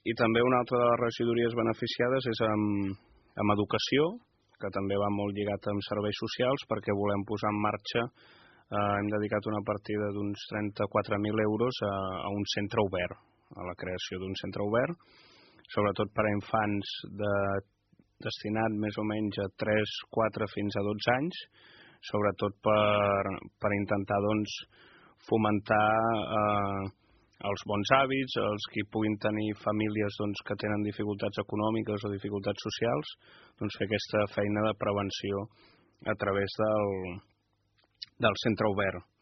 I també una altra de les regidories beneficiades és amb educació, que també va molt lligat amb serveis socials, perquè volem posar en marxa, hem dedicat una partida d'uns 34.000 euros a un centre obert, a la creació d'un centre obert, sobretot per a infants destinat més o menys a 3, 4 fins a 12 anys, sobretot per intentar fomentar els bons hàbits, els que puguin tenir famílies que tenen dificultats econòmiques o dificultats socials, fer aquesta feina de prevenció a través del centre obert.